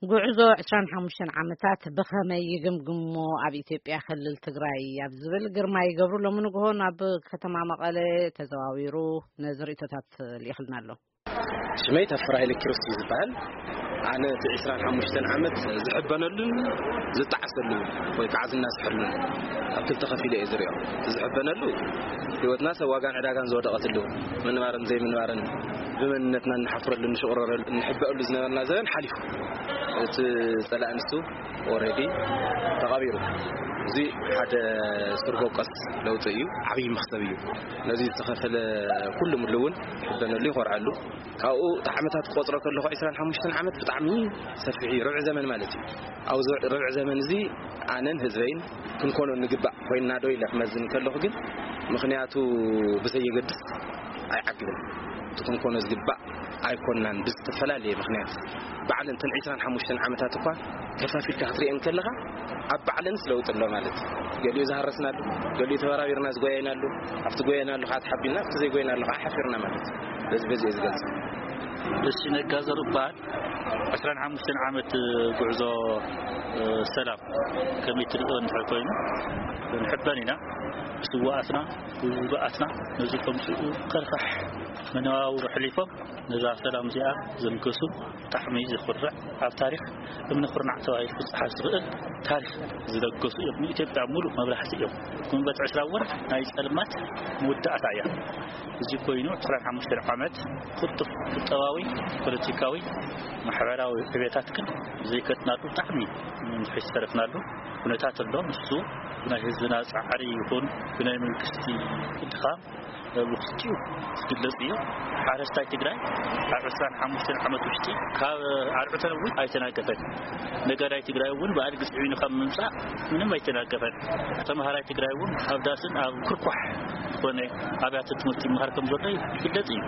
ጉዕዞ ዕስራን ሓሙሽተን ዓመታት ብኸመይ ይግምግሞ ኣብ ኢትዮጵያ ክልል ትግራይ ኣብ ዝብል ግርማይ ገብሩ ሎሚ ንግሆ ናብ ከተማ መቐለ ተዘዋዊሩ ነዚ ርእቶታት ልኢኽልና ኣሎ። ሽመይ ተፈራ ኃይለ ኪሮስ እዩ ዝበሃል። ኣነ እቲ ዕስራን ሓሙሽተን ዓመት ዝሕበነሉን ዝጠዓሰሉን ወይ ከዓ ዝናስሐሉን ኣብ ክልተ ከፊለ እየ ዝሪኦ። እቲ ዝሕበነሉ ህይወትና ሰብ ዋጋን ዕዳጋን ዝወደቐትሉ፣ ምንባርን ዘይምንባርን ብመንነትና እንሓፍረሉ፣ እንሽቕረረሉ፣ እንሕበአሉ ዝነበርና ዘበን ሓሊፉ። እቲ ጸላኢ ንሱ ኦልሬዲ ተቐቢሩ። እዚ ሓደ ስር በቆስ ለውጢ እዩ፣ ዓብዪ መኽሰብ እዩ። ነዚ ዝተኸፈለ ኩሉ ምሉ እውን ይሕበነሉ፣ ይኾርዐሉ። ካብኡ እቲ ዓመታት ክቆጽሮ ከለኹ ዕስራን ሓሙሽተን ዓመት ብጣዕሚ ሰፊሕ እዩ፣ ርብዒ ዘመን ማለት እዩ። ኣብዚ ርብዒ ዘመን እዚ ኣነን ህዝበይን ክንኮኖ ንግባእ ኮይንና ዶ ኢለ ክመዝን ከለኹ ግን፣ ምኽንያቱ ብዘየገድስ ኣይዓግብን። እቲ ክንኮኖ ዝግባእ ኣይኮንናን፣ ብዝተፈላለየ ምኽንያት። ባዕለን እተን ዕስራን ሓሙሽተን ዓመታት እኳ ከፋፊልካ ክትሪአን ከለኻ፣ ኣብ ባዕለንስ ለውጢ ኣሎ ማለት እዩ። ገሊኡ ዝሃረስናሉ፣ ገሊኡ ተበራቢርና ዝጎየናሉ፣ ኣብቲ ጎየናሉ ከዓ ተሓቢልና፣ ኣብቲ ዘይጎየናሉ ከዓ ሓፊርና ማለት እዩ። በዚ በዚ እየ ዝገልጾ። እሺ፣ ነጋ ዘሩ እበሃል። ዕስራን ሓሙሽተን ዓመት ጉዕዞ፣ እ፣ ሰላም ከመይ ትርእዮ እንድሕር ኮይኑ፣ ንሕበን ኢና። ብስዋኣትና፣ ብውጉኣትና ነዚ ከምስኡ ከርፋሕ መነባብሮ ኣሕሊፎም ነዛ ሰላም እዚኣ ዘንገሱ ብጣዕሚ ዘኹርዕ፣ ኣብ ታሪኽ እምኒ ኩርናዕ ተባሂሉ ክጸሓፍ ዝኽእል ታሪኽ ዝለገሱ እዮም። ንኢትዮጵያ ሙሉእ መብራህቲ እዮም። ግንቦት ዕስራ እውን ናይ ጸልማት መወዳእታ እያ። እዚ ኮይኑ ዕስራን ሓሙሽተን ዓመት ቅልጡፍ ቁጠባዊ፣ ፖለቲካዊ፣ ማሕበራዊ ዕቤታት ግን ዘይከድናሉ ብጣዕሚ ንድሕሪት ዝተረፍናሉ ኩነታት ኣሎ። ንሱ ብናይ ህዝብና ጻዕሪ ይኹን ብናይ መንግስቲ ድኻም ብክልቲኡ ዝግለጽ እዩ። ሓረስታይ ትግራይ ኣብ ዕስራን ሓሙሽተን ዓመት ውሽጢ ካብ ኣርዑተ ነዊት ኣይተናገፈን። ነጋዳይ ትግራይ እውን ብኣድጊ ጽዒኑ ካብ ምምጻእ ምንም ኣይተናገፈን። ተምሃራይ ትግራይ እውን ኣብ ዳስን ኣብ ኩርኳሕ ዝኾነ ኣብያተ ትምህርቲ ይምሃር ከም ዘሎ ይግለጽ እዩ።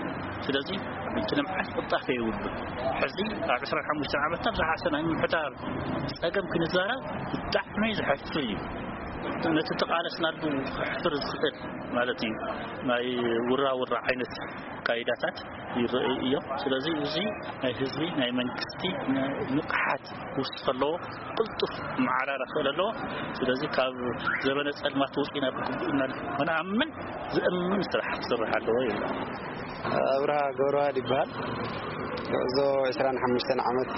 ስለዚ እቲ ልምዓት ቅልጣፈ የብሉን። ሕዚ ኣብ ዕስራን ሓሙሽተን ዓመት ኣብ ዝሓሰ ናይ ምምሕዳር ጸገም ክንዛረብ ብጣዕሚ ዘሕፍር እዩ። ነቲ ተቃለስናሉ ከሕፍር ዝኽእል ማለት እዩ። ናይ ውራ ውራ ዓይነት ኣካይዳታት ይረኣዩ እዮም። ስለዚ እዚ ናይ ህዝቢ፣ ናይ መንግስቲ ንቕሓት ክውስኽ ኣለዎ፣ ቅልጡፍ መዓራረ ክኽእል ኣለዎ። ስለዚ ካብ ዘበነ ጸልማት ወፂና ብግቡእ ኢና ክንኣምን ዝእምን ስራሕ ክስራሕ ኣለዎ ይብል። ኣብርሃ ገብረዋህድ ይበሃል። ጉዕዞ ዕስራን ሓሙሽተን ዓመት፣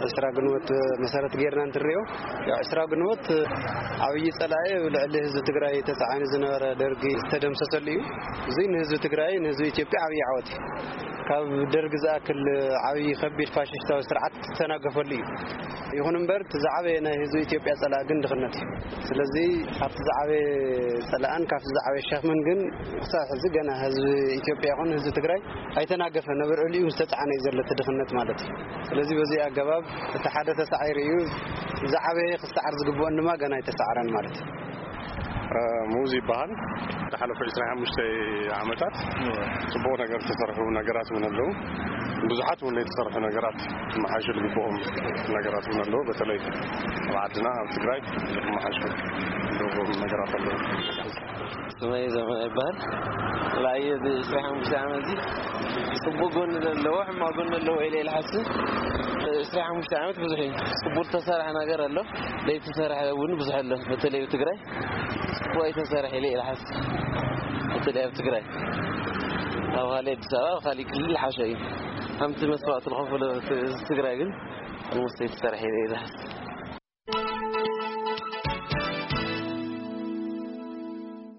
ዕስራ ግንቦት መሰረት ጌርና እንትንሪኦ፣ ያው ዕስራ ግንቦት ዓብዪ ጸላኢ ኣብ ልዕሊ ህዝቢ ትግራይ ተጻዒኑ ዝነበረ ደርጊ ዝተደምሰሰሉ እዩ። እዚ ንህዝቢ ትግራይ፣ ንህዝቢ ኢትዮጵያ ዓብዪ ዓወት እዩ። ካብ ደርጊ ዝኣክል ዓብዪ ከቢድ ፋሽስታዊ ስርዓት ዝተናገፈሉ እዩ። ይኹን እምበር፣ እቲ ዝዓበየ ናይ ህዝቢ ኢትዮጵያ ጸላኢ ግን ድኽነት እዩ። ስለዚ፣ ካብቲ ዝዓበየ ጸላእን ካብቲ ዝዓበየ ሸኽምን ግን ክሳብ ሕዚ ገና ህዝቢ ኢትዮጵያ ይኹን ህዝቢ ትግራይ ኣይተናገፈን። ኣብ ልዕሊኡ ዝተጻዕነ እዩ ዘሎ እቲ ድኽነት ማለት እዩ። ስለዚ፣ በዚ ኣገባብ እቲ ሓደ ተሳዒሩ እዩ። ዝዓበየ ክሰዓር ዝግብኦን ድማ ገና ኣይተሳዕረን ማለት እዩ። እ፣ ሙዝ ይበሃል። ዝሓለፉ ዕስራን ሓሙሽተ ዓመታት ጽቡቕ ነገር ዝተሰርሑ ነገራት እውን ኣለዉ። ብዙሓት እውን ዘይተሰርሑ ነገራት ክመሓየሹ ዝግብኦም ነገራት እውን ኣለዉ። በተለይ ኣብ ዓድና፣ ኣብ ትግራይ ክመሓየሹ ዝግብኦም ነገራት ኣለዉ። ስመይ ዘመ ይበሃል። ብኣየ እዚ ዕስራን ሓሙሽተ ዓመት እዚ ጽቡቕ ጎኒ ዘለዎ፣ ሕማቕ ጎኒ ዘለዎ ኢለ ኢለ ሓስብ። ዕስራን ሓሙሽተ ዓመት ብዙሕ እዩ። ጽቡቕ ዝተሰርሐ ነገር ኣሎ፣ ዘይተሰርሐ እውን ብዙሕ ኣሎ። በተለይ ኣብ ትግራይ ጽቡቕ ኣይተሰርሐ ኢለ ኢለ ሓስብ። በተለይ ኣብ ትግራይ፣ ኣብ ካልእ ኣዲስ ኣበባ፣ ኣብ ካልእ ክልል ሓሸ እዩ። ከምቲ መስዋእቲ ዝኸፈለ ህዝቢ ትግራይ ግን ንሙስ ዘይተሰርሐ ኢለ ኢለ ሓስብ።